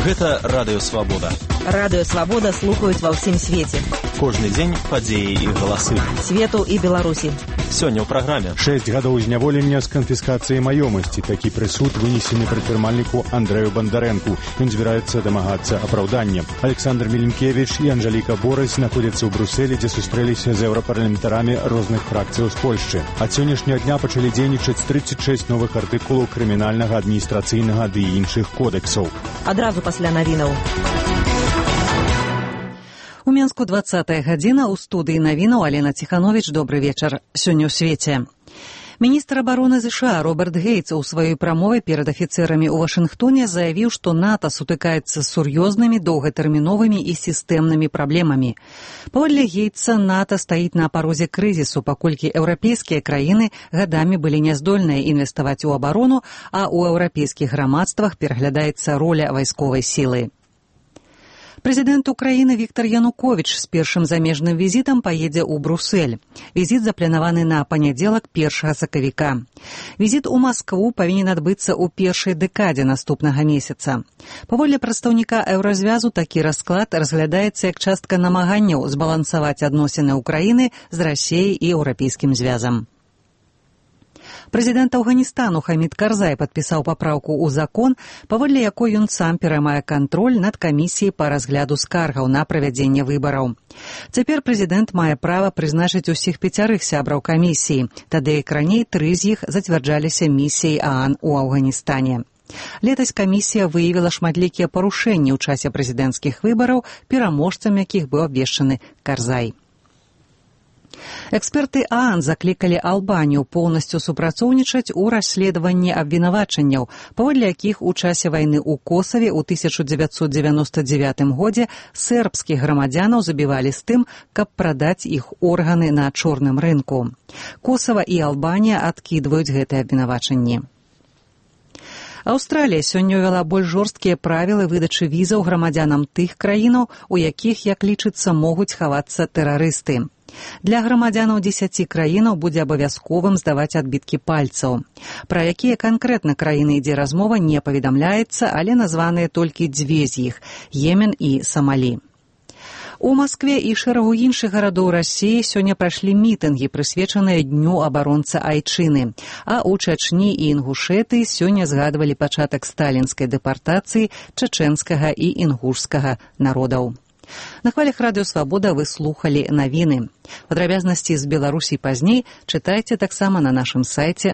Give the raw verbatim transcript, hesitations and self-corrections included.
Гэта Радыё Свабода. Радыё Свабода слухаюць ва ўсім свеце. Кожны дзень падзеі і галасы. Свету і Беларусі. Сёння ў праграме. Шэсць гадоў зняволення з канфіскацыяй маёмасці. Такі прысуд вынесены прадпрымальніку Андрэю Бандарэнку. Ён збіраецца дамагацца апраўдання. Александр Меленкевич і Анжаліка Борась знаходзяцца ў Брусэлі, дзе сустрэліся з еўрапарламентарамі розных фракцыяў з Польшчы. Ад сённяшняга дня пачалі дзейнічаць тридцать шесть новых артыкулаў крымінальнага, адміністрацыйнага ды іншых кодэксаў. Адразу пасля навінаў. У Менску двадцатая гадзіна, у студыі навінаў Алена Ціхановіч. Добры вечар. Сёння ў свеце. Міністр абароны ЗША Роберт Гейтс у сваёй прамове перад афіцэрамі ў Вашынгтоне заявіў, што НАТО сутыкаецца з сур'ёзнымі, доўгатэрміновымі і сістэмнымі праблемамі. Паводле Гейтса, НАТО стаіць на парозе крызісу, паколькі еўрапейскія краіны гадамі былі няздольныя інвеставаць у абарону, а ў еўрапейскіх грамадствах пераглядаецца роля вайсковай сілы. Прэзідэнт Украіны Віктар Януковіч з першым замежным візітам паедзе ў Брусэль. Візіт запланаваны на панядзелак першага сакавіка. Візіт у Маскву павінен адбыцца ў першай дэкадзе наступнага месяца. Паводле прадстаўніка Еўразвязу, такі расклад разглядаецца як частка намаганняў збалансаваць адносіны Украіны з Расіяй і Еўрапейскім звязам. Прэзідэнт Афганістану Хамід Карзай падпісаў папраўку ў закон, паводле якой ён сам пераймае кантроль над камісіяй па разгляду скаргаў на правядзенне выбараў. Цяпер прэзідэнт мае права прызначыць усіх пяцярых сябраў камісіі, тады як раней тры з іх зацвярджаліся місіяй ААН у Афганістане. Летась камісія выявіла шматлікія парушэнні ў часе прэзідэнцкіх выбараў, пераможцам якіх быў абвешчаны Карзай. Эксперты ААН заклікалі Албанію поўнасцю супрацоўнічаць у расследаванні абвінавачанняў, паводле якіх у часе вайны ў Косаве ў тысяча дзевяцьсот дзевяноста дзевятым годзе сербскіх грамадзянаў забівалі з тым, каб прадаць іх органы на чорным рынку. Косава і Албанія адкідваюць гэтыя абвінавачанні. Аўстралія сёння ўвяла больш жорсткія правілы выдачы візаў грамадзянам тых краінаў, у якіх, як лічыцца, могуць хавацца тэрарысты. Для грамадзянаў дзесяці краінаў будзе абавязковым здаваць адбіткі пальцаў. Пра якія канкрэтна краіны ідзе размова, не паведамляецца, але названыя толькі дзве з іх – Йемен і Самалі. У Маскве і шэрагу іншых гарадоў Расіі сёння прайшлі мітынгі, прысвечаныя Дню абаронца Айчыны. А ў Чачні і Інгушэтыі сёння згадвалі пачатак сталінскай дэпартацыі чачэнскага і інгушскага народаў. На хвалях Радыё Свабода вы слухалі навіны. Падрабязнасці з Беларусі пазней чытайце таксама на нашым сайце